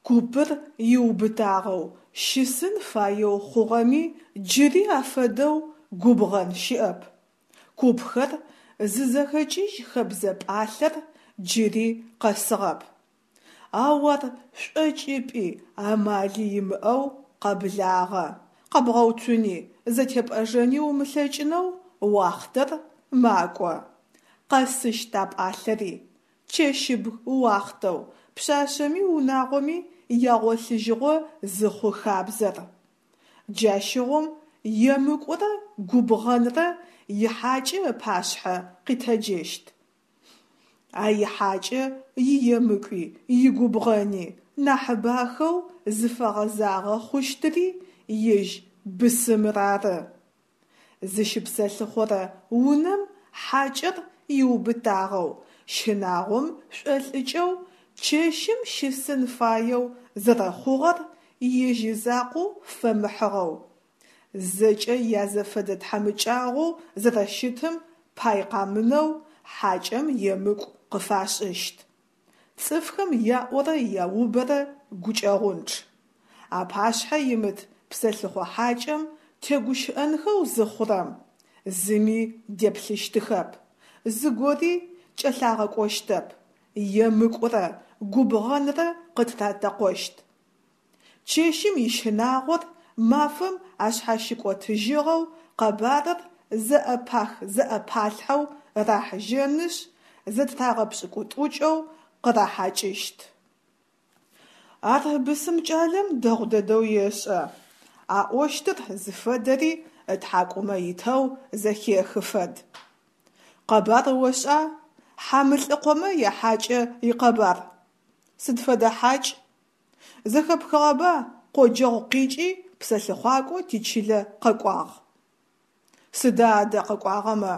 Купыр иубытагъэу щысын фаеу хъугъэми джыри афэдэу губгъэн щыӏэп. Купхэр зызэхэкӏыжь хэбзэ пӏалъэр джыри къэсыгъэп. Ау ар шӏокӏыпӏи амали имыӏэу къэблагъэ, къэбгъэуцуни зэтепӏэжэни умылъэкӏынэу уахътэр макӏо. Къэсыщт а пӏалъэри, чэщыбг уахътэу пшъашъэми унагъоми ягъолъыжьыгъо зыхъу хабзэр. Джащыгъум емыкӏурэ губгъэнрэ ихьакӏэ ыпашъхьэ къитэджэщт. А ихьакӏэ иемыкӏуи игубгъэни нахьыбахэу зыфэгъэзагъэ хъущтыри ежь бысымыр ары. Зыщыпсэлъыхъорэ унэм хьакӏэр иубытагъэу, щынагъом шӏолӏыкӏэу чэщым щысын фаеу зэрэхъугъэр ежь изакъоу фэмыхьыгъэу, зэкӏэ язэфэдэ тхьамыкӏагъоу зэрэщытым пай къамынэу хьакӏэм емыкӏу къыфашӏыщт. Цӏыфхэм яӏорэ яубэрэ гукӏэгъунчъ. Апашъхьэ имыт псэлъыхъо хьакӏэм тегущыӏэнхэу зыхъурэм, зыми деплъыщтыхэп, зыгори кӏэлъагъэкӏощтэп, емыкӏурэ губгъэнрэ къытыратэкъощт. Чэщым ищынагъор мафэм ашъхьащыкӏотыжьыгъэу къэбарыр зэӏэпах-зэӏэпалъхьэу рахьыжьэнышъ, зэтырагъэпшӏыкӏутӏукӏэу къырахьакӏыщт. Ар бысым кӏалэм дэгъу дэдэу ешӏэ, аӏощтыр зыфэдэри ытхьакӏумэ итэу зэхехы фэд. Къэбар ошӏа? Хьамылӏыкъомэ яхьакӏэ икъэбар. Сыд фэдэ хьакӏ? Зэхэпхыгъэба къоджэгъу къикӏи псэлъыхъуакӏо тичылэ къэкӏуагъ. Сыда адэ къэкӏуагъэмэ?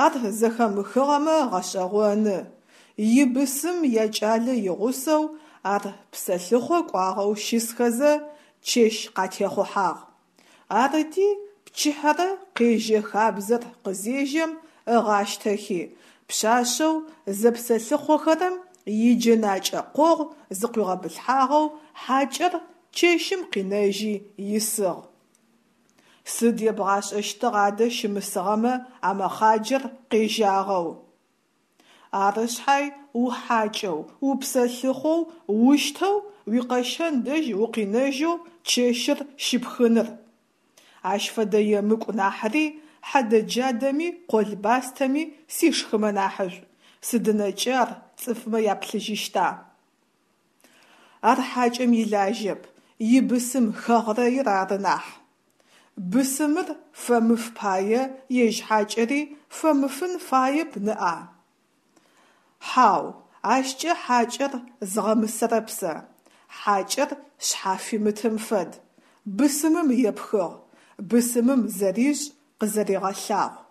Ар зэхэмыхыгъэмэ гъэшӏэгъоны. Ибысым якӏалэ игъусэу ар псэлъыхъо кӏуагъэу щысхэзэ чэщ къатехъухьагъ. Арыти, пчыхьэрэ къежьэ хабзэр къызежьэм ыгъащтэхи, пшъашъэу зэпсэлъыхъохэрэм иджэнакӏэ къогъу зыкъуигъэбылъхьагъэу хьакӏэр чэщым къинэжьи исыгъ. Сыд ебгъашӏэщтыгъ адэ щымысыгъэмэ а мэхъаджэр къежьагъэу? Ары шъхьай ухьакӏэу, упсэлъыхъоу ущтэу уикъэщэн дэжь укъинэжьэу чэщыр щипхыныр. Ащ фэдэ емыкӏу нахьыри хьэдэ-джадэми къол-бастэми сишхымэ нахьышӏу, сыдынэкӏэ ар цӏыфмэ яплъыжьыщта? Ар хьакӏэм илажьэп, ибысым хэгърэир ары нахь. Бысымыр фэмыф пае ежь хьакӏэри фэмыфын фаеп ныӏа? Хьау, ащкӏэ хьакӏэр згъэмысэрэп сэ. Хьакӏэр шъхьафимытым фэд. Бысымым епхыгъ, бысымым зэришӏ къызэригъэлъагъу.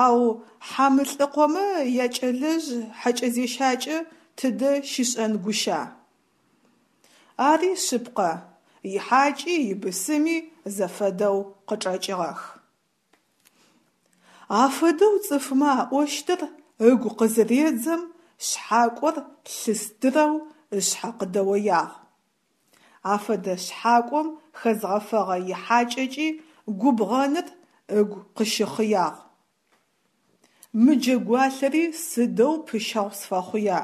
Ау Хьамылӏыкъомэ якӏэлэжъ хьэкӏэзещакӏэ тыдэ щишӏэн гуща? Ари шъыпкъэ, ихьакӏи ибысыми зэфэдэу къычӏэкӏыгъэх. Афэдэу цӏыфмэ аӏощтыр ыгу къызыредзэм, шъхьакӏор лъыстырэу ышъхьэ къыдэоягъ. Афэдэ шъхьакӏом хэзгъэфэгъэ ихьакӏэкӏи губгъэныр ыгу къыщыхъыягъ. Мы джэгуалъэри сыдэу пыщэгъу сфэхъуя,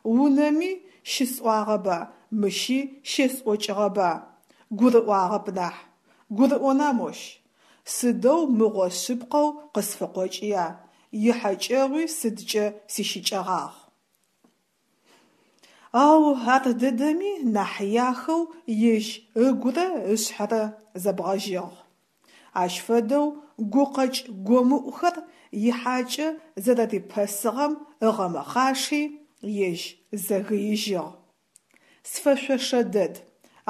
унэми щысӏуагъэба, мыщи щесӏокӏыгъэба, гурыӏуагъэп нахь. Гурыӏона мощ? Сыдэу мыгъо шъыпкъэу къысфыкъокӏыя, ихьэкӏэгъуи сыдкӏэ сищыкӏэгъагъ. Ау ардэдэми нахь яхэу ежь ыгурэ ышъхьэрэ зэбгъэжьыгъ. Ащ фэдэу гукъэкӏ гомыӏухэр ихьакӏэ зэрэрипэсыгъэм ыгъэмэхъаши, ежь зэгыижьыгъ. Сфэшъошэ дэд,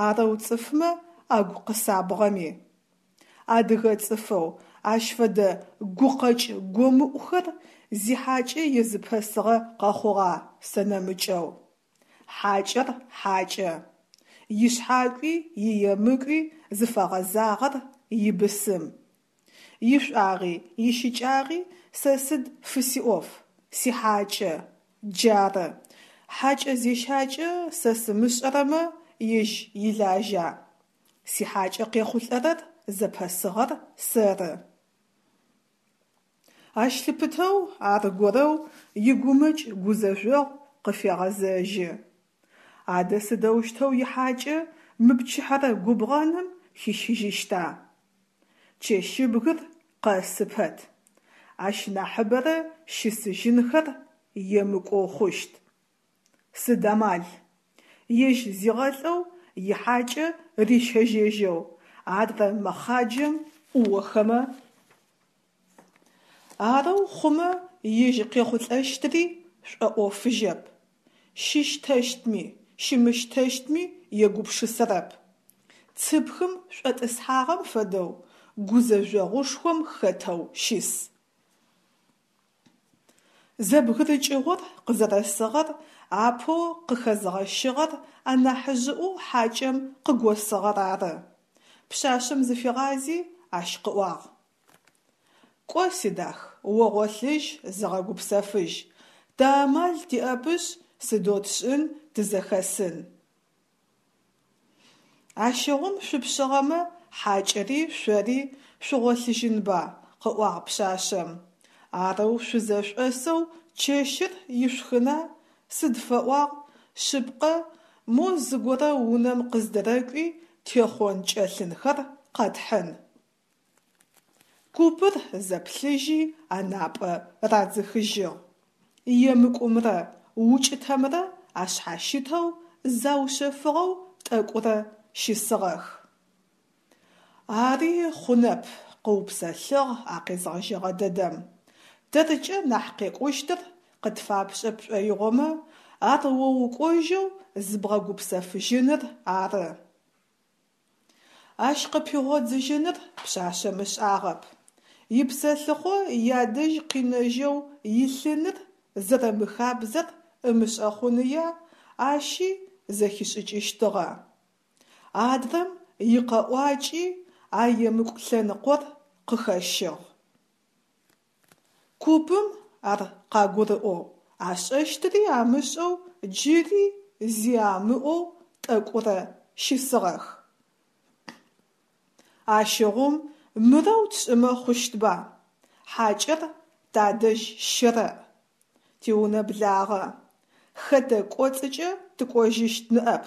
арэу цӏыфмэ агу къысабгъэми. Адыгэ цӏыфэу ащ фэдэ гукъэкӏ гомыӏухэр зихьакӏэ езыпэсыгъэ къэхъугъа сэ нэмыкӏэу? Хьакӏэр хьакӏэ. Ишъхьакӏуи иемыкӏуи зыфэгъэзагъэр ибысым. Ишӏуагъи ищыкӏагъи сэ сыд фысиӏоф, сихьакӏэ, джары. Хьакӏэ зещакӏэ сэ сымышӏэрэмэ ежь илажьа? Сихьакӏэ къехъулӏэрэр зэпэсыгъэр сэры. Ащ лъыпытэу аргорэу игумэкӏ-гузэжъогъу къыфегъэзэжьы. Адэ сыдэущтэу ихьакӏэ мы пчыхьэрэ губгъэным хищыжьыщта? Чэщыбгыр къэсы пэт, ащ нахьыбэрэ щысыжьынхэр емыкӏоу хъущт. Сыд амал? Ежь зигъэлӏэу ихьакӏэ рищэжьэжьэу адрэ мэхъаджэм ӏуохэмэ? Арэу хъумэ ежь къехъулӏэщтыри шӏоӏофыжьэп, щыщтэщтми, щымыщтэщтми егупшысэрэп. Цыпхым шӏотӏысхьагъэм фэдэу гузэжъогъушхом хэтэу щыс. Зэбгырыкӏыгъор къызэрэсыгъэр апэу къыхэзгъэщыгъэр анахьыжъыӏоу хьакӏэм къыгосыгъэр ары. Пшъашъэм зыфигъази, ащ къыӏуагъ: Кӏо, сидах, о гъолъыжь, зыгъэгупсэфыжь. Тэ амал тиӏэпышъ, сыдэу тшӏын, тызэхэсын. Ащыгъум шъупшъыгъэмэ, хьакӏэри шъори шъугъолъыжьынба, къыӏуагъ пшъашъэм. Арэу шъузэшӏосэу чэщыр ишъухына, сыд фэӏуагъ, шъыпкъэ, мо зыгорэ унэм къыздэрэкӏуи техъон-кӏэлъынхэр къэтхьын. Купыр зэплъыжьи анапӏэ радзыхыжьыгъ. Емыкӏумрэ укӏытэмрэ ашъхьащытэу заушъэфыгъэу тӏэкӏурэ щысыгъэх. Ари хъунэп, къыупсэлъыгъ а къезгъэжьэгъэ дэдэм. Тэркӏэ нахь къекӏущтыр къытфапшӏэ пшӏоигъомэ, ар о укӏожьэу зыбгъэгупсэфыжьыныр ары. Ащ къыпигъодзыжьыныр пшъашъэм ышӏагъэп. Ипсэлъыхъо ядэжь къинэжьэу илъыныр зэрэмыхабзэр ымышӏэ хъуныя, ащи зэхишӏыкӏыщтыгъэ. Адрэм икъэӏуакӏи а емыкӏу лъэныкъор къыхэщыгъ. Купым ар къагурыӏоу, ашӏэщтыри амышӏэу джыри зи амыӏоу тӏэкӏурэ щысыгъэх. Ащыгъум мырэу тшӏымэ хъущтба: хьакӏэр тадэжь щэрэӏ, тиунэ благъэ, хэтэ кӏоцӏыкӏэ тыкӏожьыщт ныӏэп,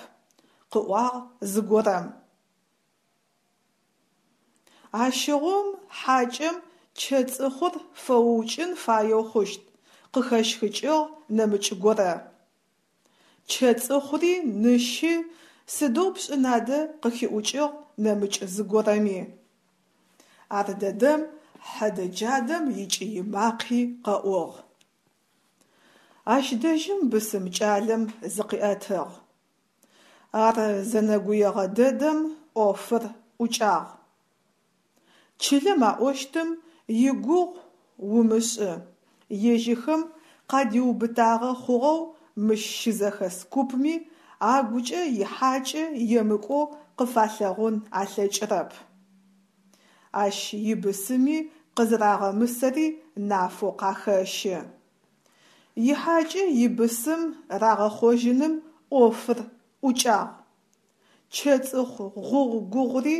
къыӏуагъ зыгорэм. Ащыгъум хьакӏэм чэцӏыхъур фэуукӏын фаеу хъущт, къыхэщхыкӏыгъ нэмыкӏ горэ. Чэцӏыхъури ныщи сыдэу пшӏын адэ къыхиӏукӏыгъ нэмыкӏ зыгорэми. Ардэдэм хьэдэ-джадэм икӏый макъи къэӏугъ. Ащ дэжьым бысым кӏалэм зыкъиӏэтыгъ. Ар зэнэгуегъэ дэдэм ӏофыр ӏукӏагъ. Чылэм аӏощтым игугъу умышӏы, ежьыхэм къадиубытагъэ хъугъэу мыщ щызэхэс купми агукӏэ ихьакӏэ емыкӏоу къыфалъэгъун алъэкӏырэп. Ащ ибысыми къызэрагъэмысэри нафэу къахэщы. Ихьакӏэ ибысым рагъэхъожьыным ӏофыр ӏукӏагъ. Чэцӏыхъу гъугъу-гугъури.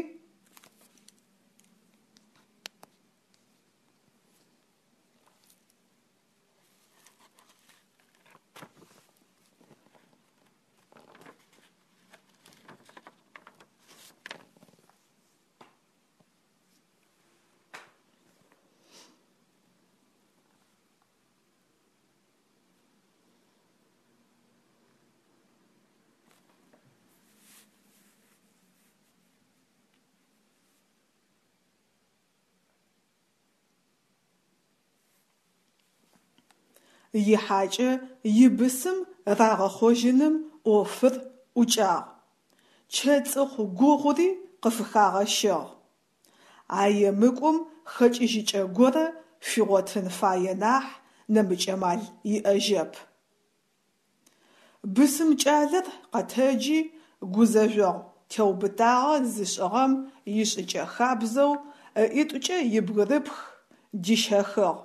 Ихьакӏэ ибысым рагъэхъожьыным ӏофыр ӏукӏагъ. Чэцӏыхъу гугъури къыфыхагъэщыгъ. А емыкӏум хэкӏыжьыкӏэ горэ фигъотын фае нахь, нэмыкӏ амал иӏэжьэп. Бысым кӏалэр къэтэджи, гузэжъогъу теубытагъэ зышӏыгъэм ишӏыкӏэ хабзэу ыӏитӏукӏэ ибгырыпх дищэхыгъ,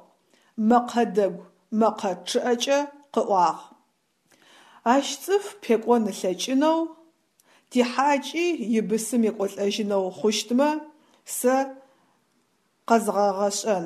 мэкъэ дэгу мэкъэ чъыӏэкӏэ къыӏуагъ. Ащ цӏыф пекӏон ылъэкӏынэу, тихьакӏи ибысым екӏолӏэжьынэу хъущтмэ, сэ къэзгъэгъэшӏэн.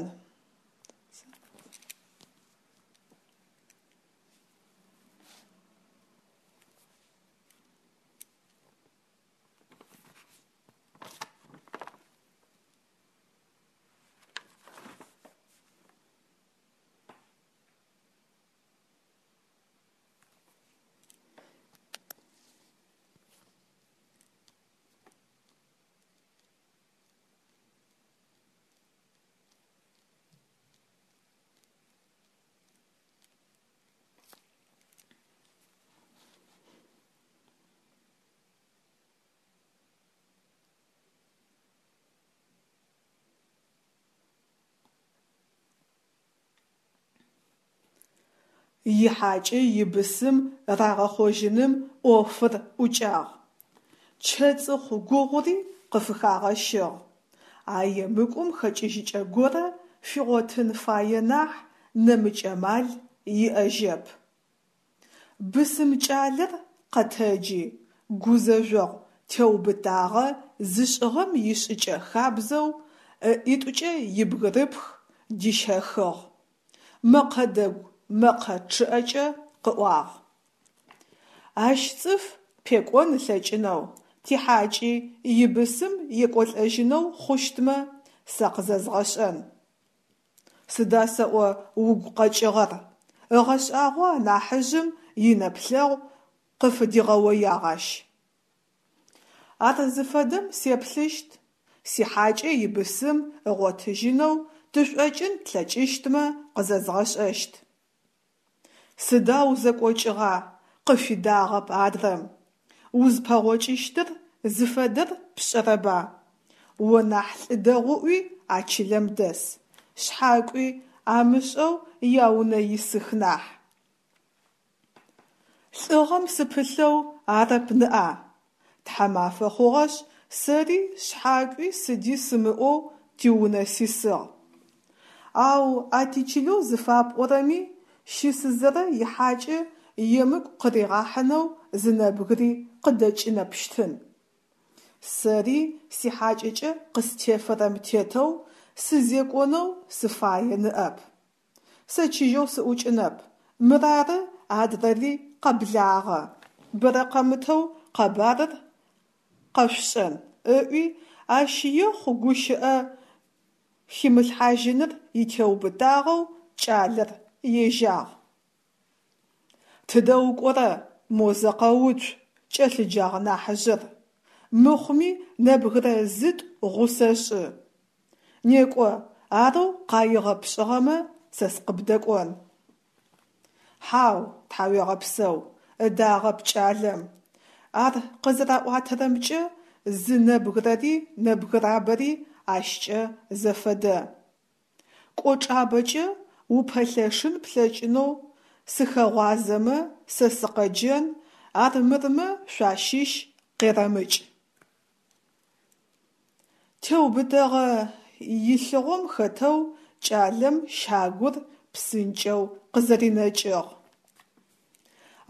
Ихьакӏэ ибысым рагъэхъожьыным ӏофыр ӏукӏагъ. Чэцӏыхъу гугъури къыфыхагъэщыгъ. А емыкӏум хэкӏыжьыкӏэ горэ фигъотын фае нахь, нэмыкӏ амал иӏэжьэп. Бысым кӏалэр къэтэджи, гузэжъогъу теубытагъэ зышӏыгъэм ишӏыкӏэ хабзэу, ыӏитӏукӏэ ибгырыпх дищэхыгъ. Мэкъэ дэгу мэкъэ чъыӏэкӏэ къыӏуагъ. Ащ цӏыф пекӏон ылъэкӏынэу, тихьакӏи ибысым екӏолӏэжьынэу хъущтмэ, сэ къызэзгъэшӏэн. Сыда сэӏо угу къэкӏыгъэр? Ыгъэшӏагъоу анахьыжъым инэплъэгъу къыфыдигъэоягъ ащ. Ар зыфэдэм сеплъыщт, сихьакӏэ ибысым ыгъотыжьынэу тышӏокӏын тлъэкӏыщтмэ къызэзгъэшӏэщт. Сыда узэкӏокӏыгъа? къыфидагъэп адрэм. Узпэгъокӏыщтыр зыфэдэр пшӏэрэба? О нахь лӏы дэгъуӏуи а чылэм дэс, шъхьакӏуи амышӏэу яунэ исых нахь. Лӏыгъэм сыпылъэу арэп ныӏа? Тхьамафэ хъугъэшъ, сэри шъхьакӏуи сыди сымыӏоу тиунэ сисыгъ. Ау а тичылэу зыфапӏорэми щысызэрэ ихьакӏэ емыкӏу къыригъахьынэу зы нэбгыри къыдэкӏынэпщтын. Сэри сихьакӏэкӏэ къыстефэрэм тетэу сызекӏонэу сыфае ныӏэп. Сэ чыжьэу сыӏукӏынэп, мырары адрэри къэблагъэ, бэрэ къэмытэу къэбарыр къэшъушӏэн, ыӏуи, ащ ехъу гущыӏэ химылъхьажьыныр итеубытагъэу кӏалэр ежьагъ. Тыдэ укӏорэ, мо зэ къэуцу, кӏэлъыджагъ нахьыжъыр. Мыхъуми нэбгырэ зытӏу гъусэ шӏы. Некӏо, арэу къаигъэ пшӏыгъэмэ, сэ сыкъыбдэкӏон. Хьау, тхьауегъэпсэу, ыдагъэп кӏалэм. Ар къызэраӏуатэрэмкӏэ, зы нэбгырэри нэбгырабэри ащкӏэ зэфэдэ. Кӏочӏабэкӏэ упэлъэшын плъэкӏынэу сыхэгъуазэмэ, сэ сыкъэджэн, армырмэ шъуащыщ къерэмыкӏ. Теубытэгъэ илъыгъом хэтэу кӏалэм щагур псынкӏэу къызэринэкӏыгъ.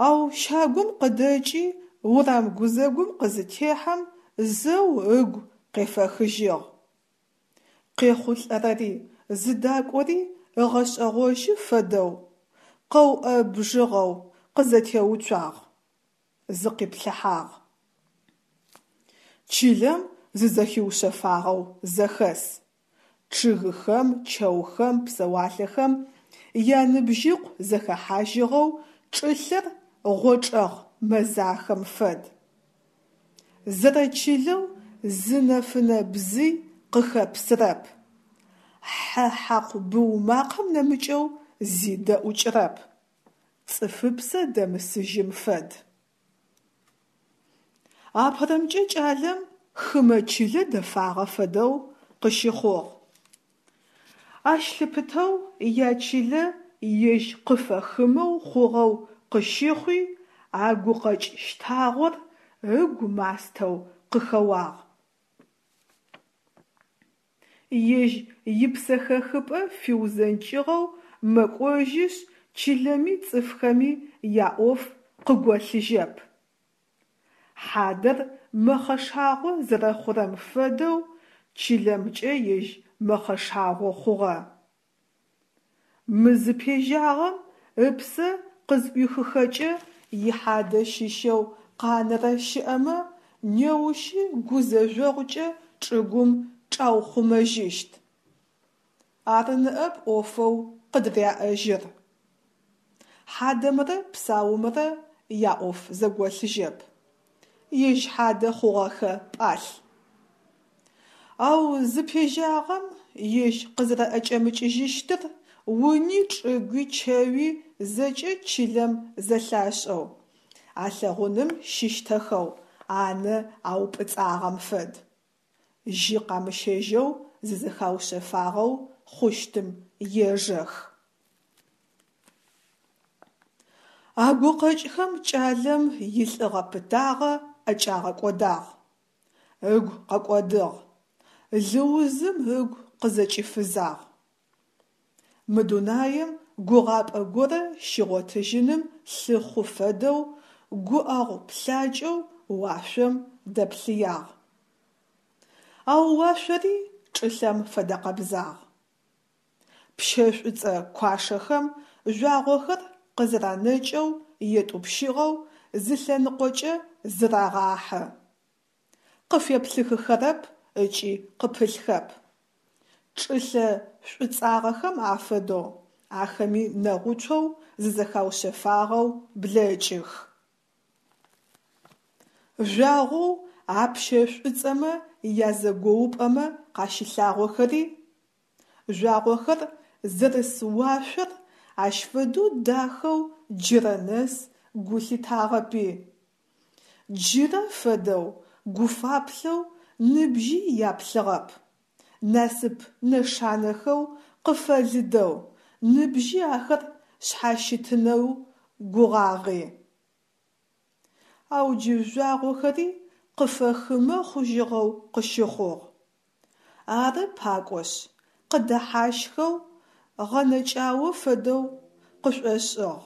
Ау щагум къыдэкӏи урам гузэгум къызытехьэм зэу ыгу къефэхыжьыгъ. Къехъулӏэрэри зыдакӏори ыгъэшӏэгъожьы фэдэу, къэуӏэбжьыгъэу къызэтеуцуагъ, зыкъиплъыхьагъ. Чылэм зызэхиушъэфагъэу зэхэс. Чъыгыхэм, чэухэм, псэуалъэхэм яныбжьыкъу зэхэхьажьыгъэу чӏылъэр гъочӏэгъ мэзахэм фэд. Зэрэчылэу зы нэфынэ бзый къыхэпсырэп. Хьэ хьакъу быу макъэм нэмыкӏэу зи дэӏукӏырэп. Цӏыфыпсэ дэмысыжьым фэд. Апэрэмкӏэ кӏалэм хымэ чылэ дэфагъэ фэдэу къыщыхъугъ. Ащ лъыпытэу ячылэ ежь къыфэхымэу хъугъэу къыщыхъуи, а гукъэкӏ щтагъор ыгу мастэу къыхэуагъ. Ежь ипсэхэхыпӏэ фиузэнкӏыгъэу мэкӏожьышъ чылэми цӏыфхэми яӏоф къыголъыжьэп. Хьадэр мэхъэшагъо зэрэхъурэм фэдэу чылэмкӏэ ежь мэхъэшагъо хъугъэ. Мы зыпежьагъэм ыпсэ къызӏуихыхэкӏэ ихьадэ щыщэу къанэрэ щыӏэмэ, неущи гузэжъогъукӏэ чӏыгум чӏаухъумэжьыщт. Ары ныӏэп ӏофэу къыдыряӏэжьыр. Хьадэмрэ псаумрэ яӏоф зэголъыжьэп. Ежь хьадэ хъугъэхэ пӏалъ. Ау зыпежьагъэм ежь къызэрэӏэкӏэмыкӏыжьыщтыр уни чӏыгуи чэуи зэкӏэ чылэм зэлъашӏэу, алъэгъуным щыщтэхэу анэ аупӏыцӏагъэм фэд. Жьы къамыщэжьэу зызэхаушъэфагъэу хъущтым ежэх. А гукъэкӏхэм кӏалэм илӏыгъэ-пытагъэ ӏэкӏагъэкӏодагъ. Ыгу къэкӏодыгъ. Лыузым ыгу къызэкӏифызагъ. Мы дунаим гугъапӏэ горэ щигъотыжьыным лъыхъу фэдэу гуӏэгъу плъакӏэу уашъом дэплъыягъ. Ау уашъори чӏылъэм фэдэкъэбзагъ. Пщэ шӏуцӏэ куашэхэм жъуагъохэр къызэранэкӏэу етӏупщыгъэу зы лъэныкъокӏэ зырагъахьы. Къыфеплъыхыхэрэп ыкӏи къыпылъхэп. Чӏылъэ шӏуцӏагъэхэм афэдэу ахэми нэгъуцоу зызэхаушъэфагъэу блэкӏых. Жъуагъоу а пщэ шӏуцӏэмэ язэгоупӏэмэ къащылъагъохэри, жъуагъохэр зэрыс уашъор ащ фэдэу дахэу джырэ нэс гу лъитагъэпи, джырэ фэдэу гуфаплъэу ныбжьи яплъыгъэп, насып нэшанэхэу къыфэлыдэу ныбжьи ахэр шъхьащытынэу гугъагъи. Ау джы жъуагъохэри къыфэхымэ хъужьыгъэу къыщыхъугъ. Ары пакӏошъ, къыдэхьащхэу, гъэнэкӏао фэдэу къышӏошӏыгъ.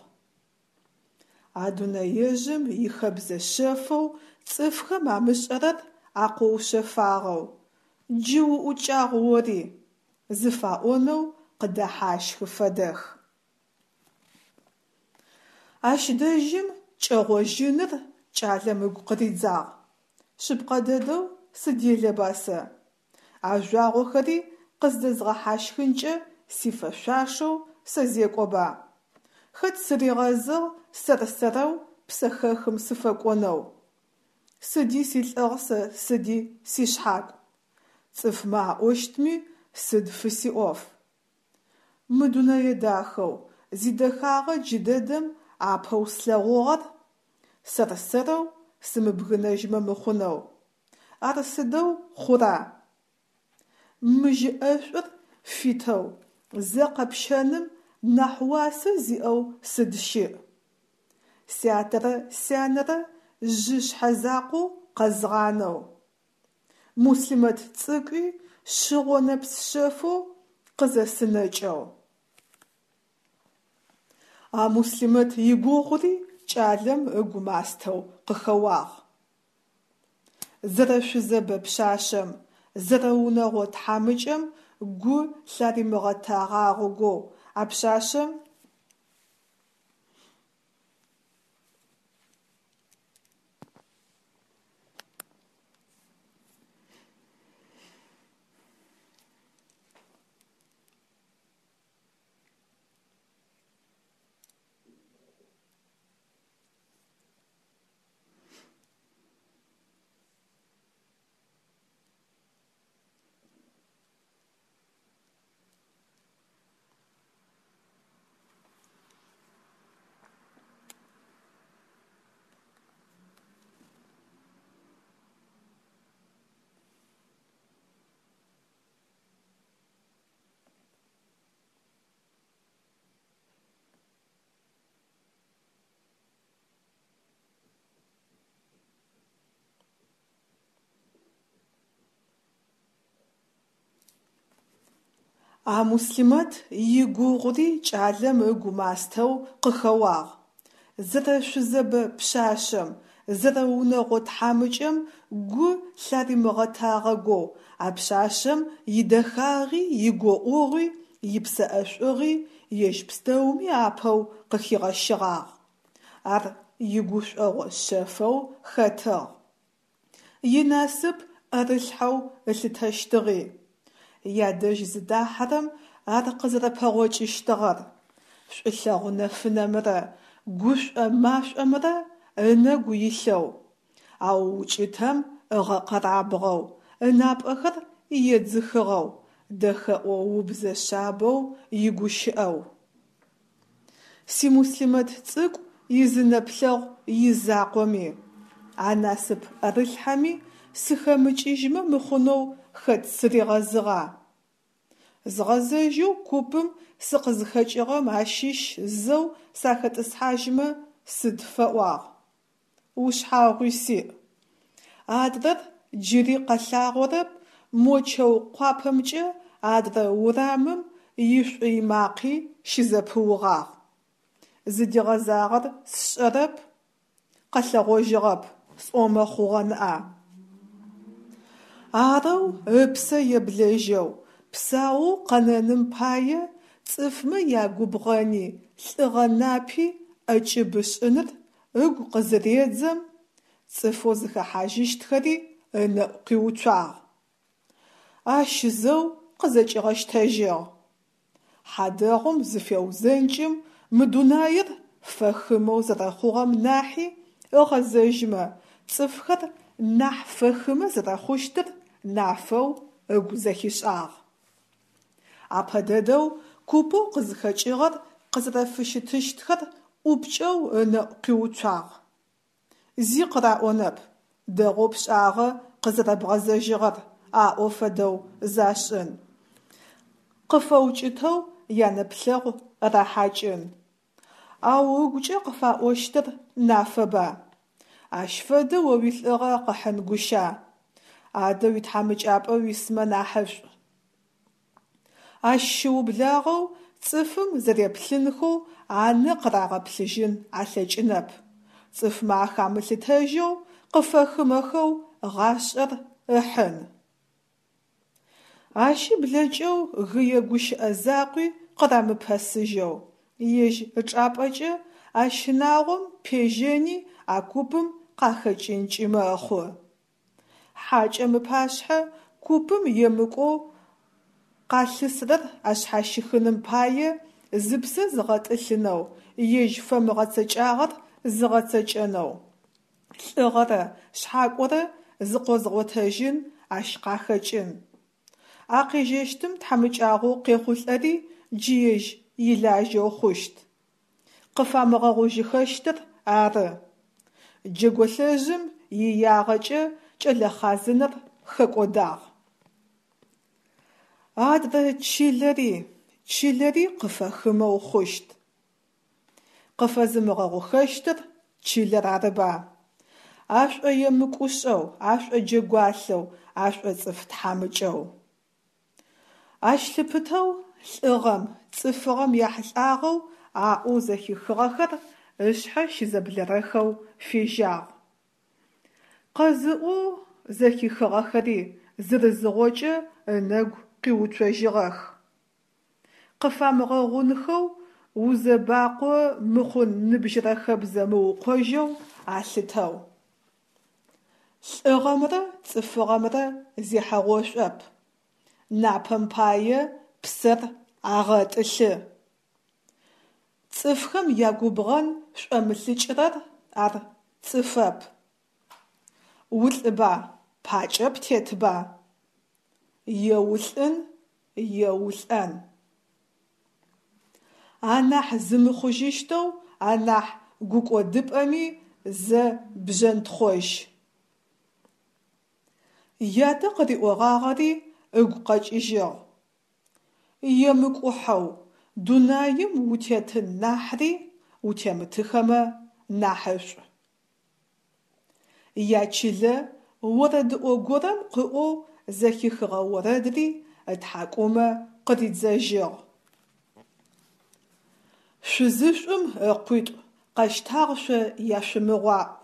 А дунэежъым ихэбзэ шъэфэу цӏыфхэм амышӏэрэр акъоушъэфагъэу, джы уӏукӏагъ ори, зыфаӏонэу къыдэхьащхы фэдэх. Ащ дэжьым кӏэгъожьыныр кӏалэм ыгу къыридзагъ. Шъыпкъэ дэдэу сыделэба сэ? А жъуагъохэри къыздэзгъэхьащхынкӏэ сифэшъуашэу сэзекӏоба? Хэт сыригъэзыгъ сэр-сэрэу псэхэхым сыфэкӏонэу? Сыди силӏыгъ сэ, сыди сишъхьакӏу. Цӏыфмэ аӏощтми сыд фысиӏоф? Мы дунэе дахэу, зидэхагъэ джыдэдэм апэу слъэгъугъэр сэр-сэрэу сымыбгынэжьмэ мыхъунэу. Ар сыдэу хъура? Мы жьы ӏэшӏур фитэу зэ къэпщэным нахь уасэ зиӏэу сыд щыӏ? Сятэрэ сянэрэ жъы шъхьэзакъоу къэзгъанэу. Муслъимэт цӏыкӏуи шъыгъо нэпс шъэфэу къызэсынэкӏэу. А Муслъимэт игугъури кӏалэм ыгу мастэу къыхэуагъ. Зэрэшъузэбэ пшъашъэм, зэрэунэгъо тхьамыкӏэм гу лъаримыгъэтэгъагъэгоу а пшъашъэм. А Муслъимэт игугъури кӏалэм ыгу мастэу къыхэуагъ. зэрэшъузэбэ пшъашъэм, зэрэунэгъо тхьамыкӏэм гу лъаримыгъэтагъэгоу, а пшъашъэм идэхагъи, игоӏугъи, ипсэ ӏэшӏугъи ежь пстэуми апэу къыхигъэщыгъагъ. Ар игушӏогъо шъэфэу хэтыгъ. Инасып ӏэрылъхьэу ылъытэщтыгъи. Ядэжь зыдахьэрэм ар къызэрэпэгъокӏыщтыгъэр, шӏулъэгъу нэфынэмрэ гушӏо машӏомрэ ынэгу илъэу, ау укӏытэм ыгъэкъэрабгъэу, ынапӏэхэр едзыхыгъэу, дэхэӏо убзэ шъабэу игущыӏэу. Симуслъимэт цӏыкӏу изы нэплъэгъу изакъоми, а насып ӏэрылъхьэми сыхэмыкӏыжьмэ мыхъунэу хэт сыригъэзыгъа? Згъэзэжьэу купым сыкъызхэкӏыгъэм ащыщ зэу сахэтӏысхьажьмэ сыд фэӏуагъ? Ушъхьагъуи сиӏ. Адрэр джыри къэлъагъорэп, мо чэу къуапэмкӏэ адрэ урамым ишӏуй макъи щызэпыугъагъ. Зыдигъэзагъэр сшӏэрэп, къэлъэгъожьыгъэп сӏомэ хъугъэ ныӏа. Арэу ыпсэ еблэжьэу, псаоу къэнэным пае цӏыфмэ ягубгъэни лӏыгъэ напи ӏэкӏыб ышӏыныр ыгу къызыредзэм, цӏыфэу зыхэхьажьыщтхэри ынэӏу къиуцуагъ. Ащ зэу къызэкӏигъэщтэжьыгъ. Хьадэгъум зыфеузэнкӏым мы дунаир фэхымэу зэрэхъугъэм нахьи ыгъэзэжьмэ, цӏыфхэр нахь фэхымэ зэрэхъущтыр нафэу ыгу зэхишӏагъ. Апэ дэдэу купэу къызхэкӏыгъэр къызэрэфыщытыщтхэр ӏупкӏэу ынэӏу къиуцуагъ. Зи къыраӏонэп, дэгъоу пшӏагъэ къызэрэбгъэзэжьыгъэр аӏо фэдэу зашӏын. Къыфэукӏытэу янэплъэгъу рахьакӏын. Ау ыгукӏэ къыфаӏощтыр нафэба? Ащ фэдэ о уилӏыгъэ къыхьын гуща? Адэ уитхьамыкӏапӏэ уисмэ нахьышӏу. Ащ щыублагъэу цӏыфым зэреплъынхэу анэ къырагъэплъыжьын алъэкӏынэп. Цӏыфмэ ахамылъытэжьэу, къыфэхымэхэу гъашӏэр ыхьын. Ащи блэкӏэу гые гущыӏэ закъуи къырамыпэсыжьэу, ежь ычӏапӏэкӏэ а щынагъом пежьэни а купым къахэкӏынкӏи мэхъу. Хьакӏэм ыпашъхьэ купым емыкӏоу къалъысрэр ашъхьащихыным пае зыпсэ зыгъэтӏылъынэу, ежь фэмыгъэцэкӏагъэр зыгъэцэкӏэнэу, лӏыгъэрэ шъхьакӏорэ зыкъозгъотэжьын ащ къахэкӏын. А къежьэщтым тхьамыкӏагъоу къехъулӏэри джы ежь илажьэу хъущт. Къыфамыгъэгъужьыхэщтыр ары. Джэголъэжъым иягъэкӏэ кӏэлэ хъазынэр хэкӏодагъ. Адрэ чылэри, чылэри къыфэхымэу хъущт. Къыфэзымыгъэгъухэщтыр чылэр арыба? Ашӏоемыкӏушӏэу, ашӏоджэгуалъэу, ашӏоцӏыф тхьамыкӏэу. Ащ лъыпытэу лӏыгъэм, цӏыфыгъэм яхьылӏагъэу аӏоу зэхихыгъэхэр ышъхьэ щызэблэрэхэу фежьагъ. Къэзыӏоу зэхихыгъэхэри зырызыгъокӏэ ынэгу къиуцожьыгъэх. Къыфамыгъэгъунхэу, узэбакъо мыхъун ныбжьырэ хэбзэ мыукъожьэу алъытэу. Лӏыгъэмрэ цӏыфыгъэмрэ зехьэгъошӏоп. Напэм пае псэр агъэтӏылъы. Цӏыфхэм ягубгъэн шӏомылӏыкӏрэр ар цӏыфэп. Улӏыба, пакӏэ птетба? Е улӏын, е улӏэн. Анахь зымыхъужьыщтэу анахь гукӏодыпӏэми зэ бжьэнтхъожь. Ятэ къыриӏогъагъэри ыгу къэкӏыжьыгъ. Емыкӏухьэу дунаим утетын нахьри утемытыхэмэ нахьышӏу. Ячылэ орэдыӏо горэм къыӏоу зэхихыгъэ орэдри ытхьакӏумэ къыридзэжьыгъ. Шъузышӏум ыкъуитӏу. Къэщтагъ шъо яшъумыгъаӏу!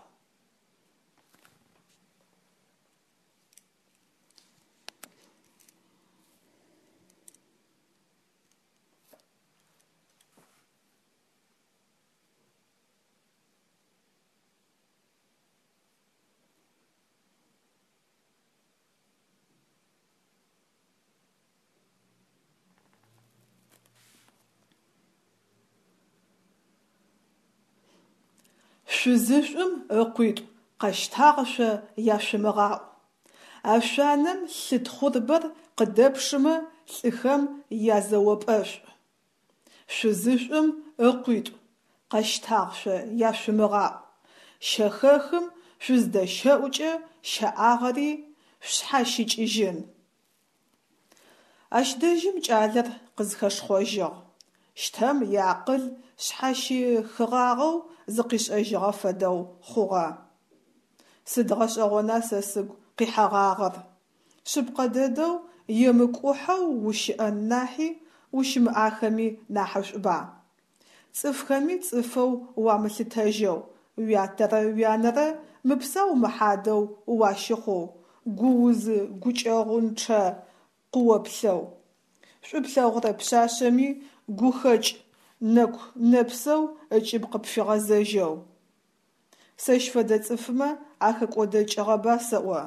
Шъузышӏум ыкъуитӏу Къэщтагъ шъо яшъумыгъаӏу! Ашъуанэм лъы тхъурбэр къыдэпшымэ лӏыхэм язэопӏэшӏу. Шъузышӏум ыкъуитӏу Къэщтагъ шъо яшъумыгъаӏу! Щэхэхым шъузыдэщэӏукӏэ щэӏагъэри шъушъхьащыкӏыжьын. Ащ дэжьым кӏалэр къызхэшхъожьыгъ, щтэм иакъыл шъхьащихыгъагъэу зыкъишӏэжьыгъэ фэдэу хъугъэ. Сыд гъэшӏэгъона сэ сыгу къихьэгъагъэр? Шъыпкъэ дэдэу емыкӏухьэу ущыӏэн нахьи ущымыӏахэми нахьышӏуба? Цӏыфхэми цӏыфэу уамылъытэжьэу, уятэрэ уянэрэ мыпсау-мыхьадэу уащыхъоу, гуузы-гукӏэгъунчъэ къыоплъэу, шӏу плъэгъурэ пшъашъэми гухэкӏ нэку-нэпсэу ыкӏыб къыпфигъэзэжьэу. Сэщ фэдэ цӏыфмэ ахэкӏодэкӏыгъэба сэӏо?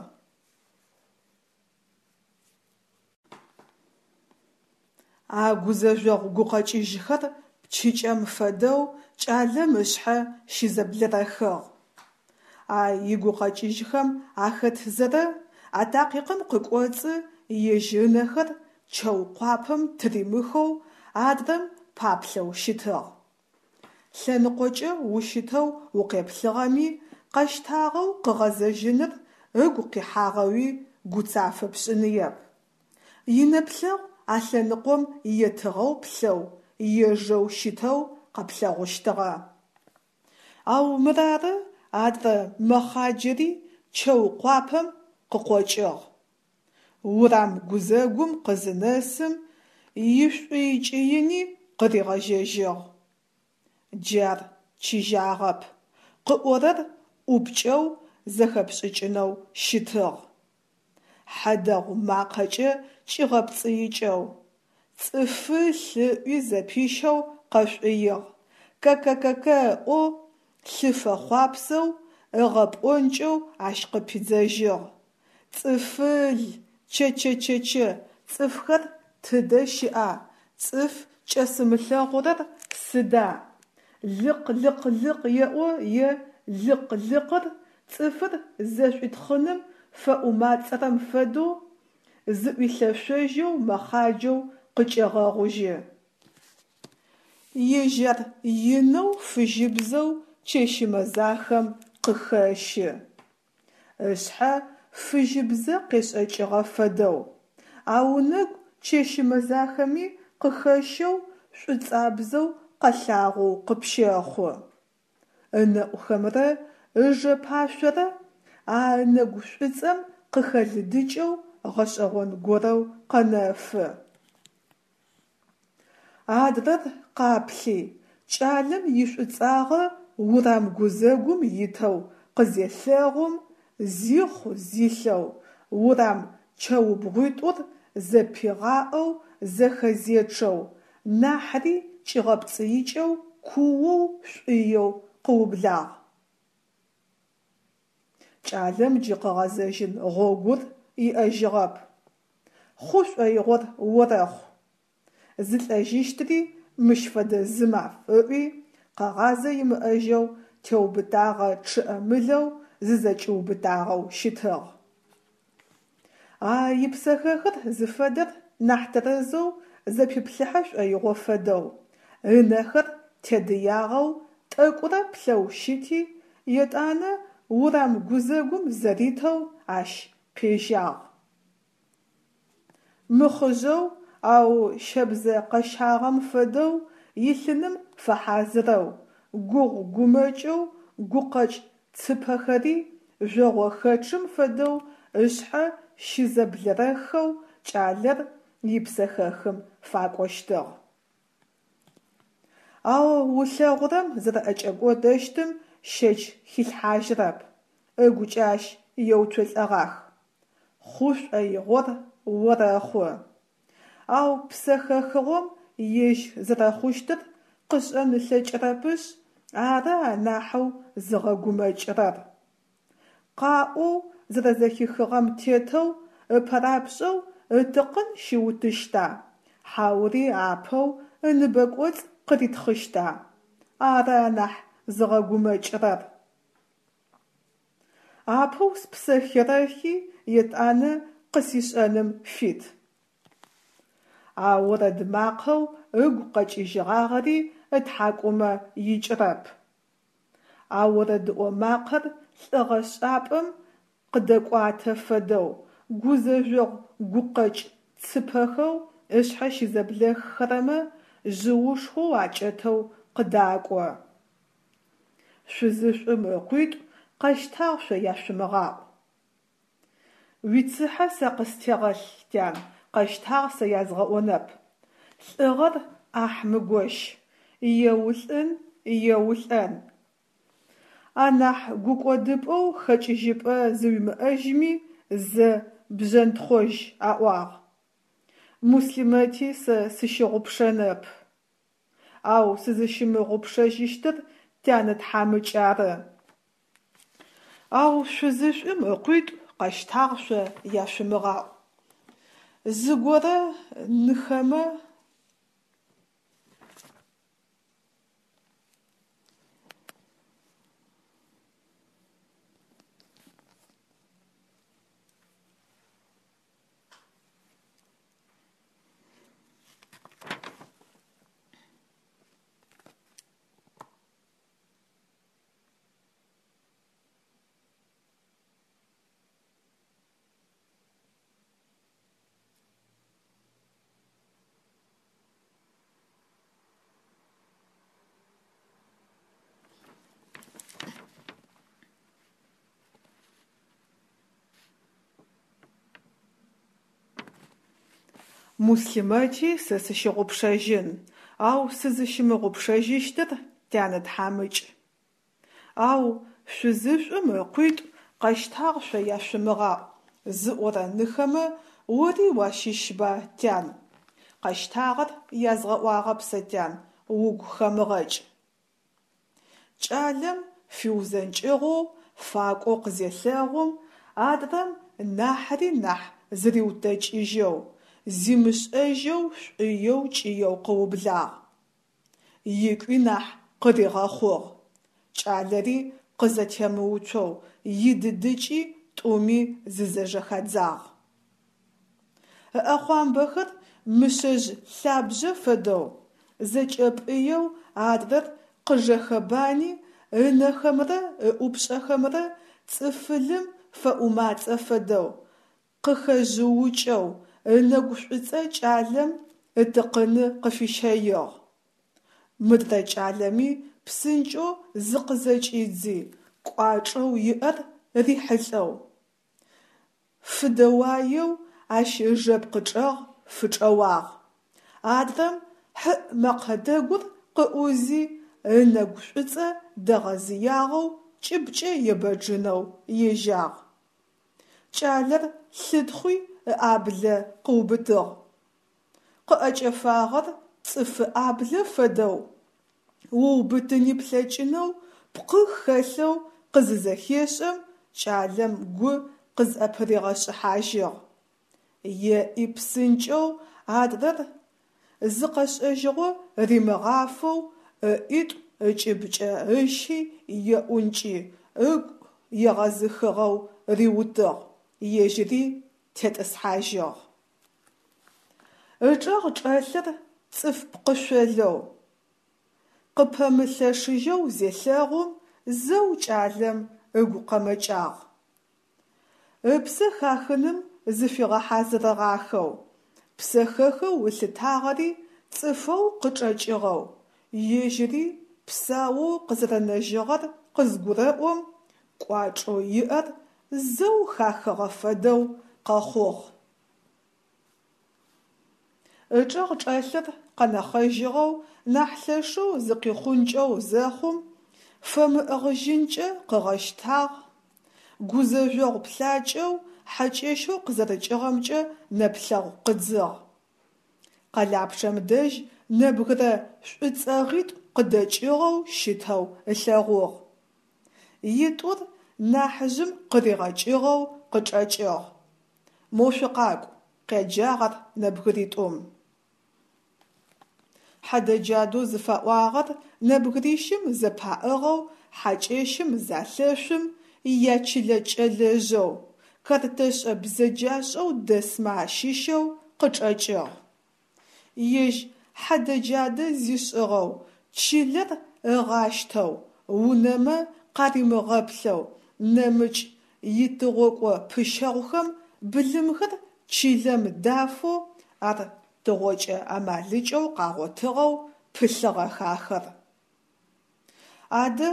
А гузэжъогъу гукъэкӏыжьхэр пчыкӏэм фэдэу кӏалэм ышъхьэ щызэблэрэхыгъ. А игукъэкӏыжьхэм ахэтзэрэ, а такъикъым къыкӏоцӏы ежь ынэхэр чэу къуапэм тыримыхэу адрэм паплъэу щытыгъ. Лъэныкъокӏэ ущытэу укъеплъыгъэми, къэщтагъэу къыгъэзэжьыныр ыгу къихьагъэуи гуцафэ пшӏыныеп. Инэплъэгъу а лъэныкъом етыгъэу плъэу, ежэу щытэу къэплъэгъущтыгъэ. Ау мырары адрэ мэхъаджэри чэу къуапэм къыкъокӏыгъ. Урам гузэгум къызынэсым, ишӏуй-кӏыини къыригъэжьэжьыгъ. Джы ар чыжьагъэп, къыӏорэр ӏупкӏэу зэхэпшӏыкӏынэу щытыгъ. Хьэдэгъу макъэкӏэ кӏигъэпцӏыикӏэу, цӏыфыл ыӏуи зэпищэу къэшӏуигъ, кэ-кэ-кэ-кэ ыӏоу лъы фэхъуапсэу ыгъэпӏонкӏэу ащ къыпидзэжьыгъ: Цӏыфыл, чэ-чэ-чэ-чэ, цӏыфхэр тыдэ щыӏа, цӏыф кӏэсымылъэгъурэр сыда? Лыкъ-лыкъ-лыкъ еӏо е лыкъ-лыкъыр цӏыфыр зэшӏуитхъыным фэӏумацӏэрэм фэдэу зыӏуилъэшъожьэу мэхъаджэу къыкӏегъэгъужьы. Ежь ар инэу фыжьыбзэу чэщы мэзахэм къыхэщы. Ышъхьэ фыжьыбзэ къешӏэкӏыгъэ фэдэу, ау ынэгу чэщы мэзахэми къыхэщэу шӏуцӏабзэу къэлъагъоу къыпщэхъу. Ынэӏухэмрэ ыжэпашъорэ а ынэгу шӏуцӏэм къыхэлыдыкӏэу гъэшӏэгъон горэу къэнэфы. Адрэр къаплъи, кӏалэм ишӏуцӏагъэ урам гузэгум итэу къызелъэгъум, зихъу-зилъэу, урам чэубгъуитӏур зэпигъаӏэу зэхэзечъэу, нахьри кӏигъэпцӏыикӏэу куоу шӏуеу къыублагъ. Кӏалэм джы къыгъэзэжьын гъогур иӏэжьыгъэп. Хъу шӏоигъор орэхъу. Зылӏэжьыщтри мыщ фэдэ зы маф, ыӏуи, къэгъазэ имыӏэжьэу теубытагъэ чъыӏэ-мылэу зызэкӏиубытагъэу щытыгъ. А ипсэхэхыр зыфэдэр нахь тэрэзэу зэпиплъыхьэ шӏоигъо фэдэу, ынэхэр тедыягъэу тӏэкӏурэ плъэу щыти, етӏанэ урам гузэгум зэритэу ащ пежьагъ. Мыхъыжъэу, ау щэбзэ къэщагъэм фэдэу илъыным фэхьазырэу, гугъу-гумэкӏэу гукъэкӏ цыпэхэри жъогъохэчъым фэдэу ышъхьэ щызэблэрэххэу кӏалэр ипсэхэхым факӏощтыгъ. Ау ылъэгъурэм зэрэӏэкӏэкӏодэщтым щэч хилъхьажьырэп, ыгукӏэ ащ еуцолӏэгъах: «Хъу шӏоигъор орэхъу». Ау псэхэхыгъом ежь зэрэхъущтыр къышӏэн ылъэкӏырэпышъ ары анахьэу зыгъэгумэкӏырэр. Къаӏоу зэрэзэхихыгъэм тетэу ыпэрапшӏэу ытыкъын щиутыщта, хьаури апэу ыныбэкӏоцӏ къыритхъыщта? Ары анахь зыгъэгумэкӏырэр. Апэу спсэ херэхи, етӏанэ къысишӏэным фит. А орэд макъэу ыгу къэкӏыжьыгъагъэри ытхьакӏумэ икӏырэп. А орэдыӏо макъэр лӏыгъэшӏапӏэм къыдэкӏуатэ фэдэу, гузэжъогъу гукъэкӏ цыпэхэу ышъхьэ щызэблэххэрэмэ жъыушхоу акӏэтэу къыдакӏо. Шъузышӏум ыкъуитӏу къэщтагъ шъо яшъумыгъаӏу. Уицыхьэ сэ къыстегъэлъ, тян, къэщтагъ сэ язгъэӏонэп. Лӏыгъэр ӏахь мыгощ, е улӏын, е улӏэн. Анахь гукӏодыпӏэу хэкӏыжьыпӏэ зыуимыӏэжьми зэ бжъэнтхъожь аӏуагъ. Муслъимэти сэ сыщыгъупшэнэп. Ау сызыщымыгъупшэжьыщтыр тянэ тхьамыкӏ ары. Ау шъузышӏум ыкъуитӏу къэщтагъ шъо яшъумыгъаӏу. Зыгорэ ныхэмэ. Муслъимэти сэ сыщыгъупшэжьын, ау сызыщымыгъупшэжьыщтыр тянэ тхьамыкӏ. Ау шъузышӏум ыкъуитӏу къэщтагъ шъо яшъумыгъаӏу зыӏорэ ныхэмэ ори уащыщба, тян? Къэщтагъэр язгъэӏуагъэп сэ, тян, угу хэмыгъэкӏ. Кӏалэм фиузэнкӏыгъэу факӏоу къызелъэгъум, адрэм нахьри нахь зыриутэкӏыжьэу, зимышӏэжьэу шӏуеу кӏыеу къыублагъ. Икӏуи нахь къыригъэхъугъ. Кӏалэри къызэтемыуцоу идыдыкӏи тӏуми зызэжэхадзагъ. Ыӏэхъуамбэхэр мышъэжъ лъабжъэ фэдэу зэкӏэпӏыеу адрэр къыжэхэбани, ынэхэмрэ ыӏупшӏэхэмрэ цӏыфылым фэӏумацӏэ фэдэу, къыхэжъыукӏэу ынэгу шӏуцӏэ кӏалэм ытыкъыны къыфищэигъ. Мыдрэ кӏалэми псынкӏэу зыкъызэкӏидзи, кӏуачӏэу иӏэр рихьылӏэу, фыдэуаеу ащ ыжэпкъ чӏэгъ фычӏэуагъ. Адрэм хьыӏ мэкъэ дэгур къыӏузи, ынэгу шӏуцӏэ дэгъэзыягъэу кӏыбкӏэ ебэджынэу ежьагъ. Кӏалэр лъытхъуи ыӏаблэ къыубытыгъ. Къыӏэкӏэфагъэр цӏыфы ӏаблэ фэдэу, уубытыни плъэкӏынэу пкъы хэлъэу къызызэхешӏэм, кӏалэм гу къызӏэпыригъэшӏыхьажьыгъ. Еӏи псынкӏэу адрэр зыкъэшӏэжьыгъо римыгъафэу ыӏитӏу ыкӏыбкӏэ ыщи еӏункӏи, ыгу егъэзыхыгъэу риутыгъ, ежьыри тетӏысхьажьыгъ. Ычӏэгъ чӏэлъыр цӏыф пкъышъолэу, къыпэмылъэшыжьэу зелъэгъум, зэу кӏалэм ыгу къэмэкӏагъ. Ыпсэ хахыным зыфигъэхьазырыгъахэу, псэхэхэу ылъытагъэри цӏыфэу къычӏэкӏыгъэу, ежьыри псаоу къызэрэнэжьыгъэр къызгурэӏом, кӏуачӏэу иӏэр зэу хахыгъэ фэдэу къэхъугъ. Ычӏэгъ чӏэлъыр къэнэхъэжьыгъэу, нахь лъэшэу зыкъихъункӏэу зэхъум, фэмыӏыгъыжьынкӏэ къыгъэщтагъ, гузэжъогъу плъакӏэу хьакӏэщэу къызэрыкӏыгъэмкӏэ нэплъэгъу къыдзыгъ. Къэлапчъэм дэжь нэбгырэ шӏуцӏэгъитӏу къыдэкӏыгъэу щытэу ылъэгъугъ. Итӏур нахьыжъым къыригъэкӏыгъэу къычӏэкӏыгъ. «Мо шъукъакӏу», къяджагъ ар нэбгыритӏум. Хьэдэ-джадэу зыфаӏуагъэр нэбгырищым зэпаӏыгъэу хьакӏэщым залъэшъум, ячылэ кӏэлэжъэу, картэшӏэ бзэджашӏэу дэсмэ ащыщэу къычӏэкӏыгъ. Ежь хьэдэ-джадэ зишӏыгъэу, чылэр ыгъащтэу, унэмэ къаримыгъэплъэу, нэмыкӏ итыгъокӏо пыщэгъухэм былымхэр чылэм дафэу, ар тыгъокӏэ амалыкӏэу къагъотыгъэу пылъыгъэх ахэр. Адэ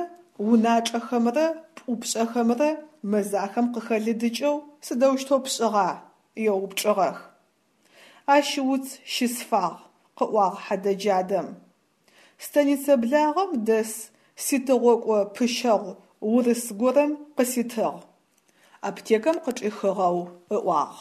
уначӏэхэмрэ пӏупшӏэхэмрэ мэзахэм къыхэлыдыкӏэу сыдэущтэу пшӏыгъа? – еупчӏыгъэх. Ащ уц щысфагъ, къыӏуагъ хьэдэ-джадэм. Станицэ благъэм дэс ситыгъокӏо пыщэгъу урыс горэм къыситыгъ. Аптекэм къычӏихыгъэу ыӏуагъ.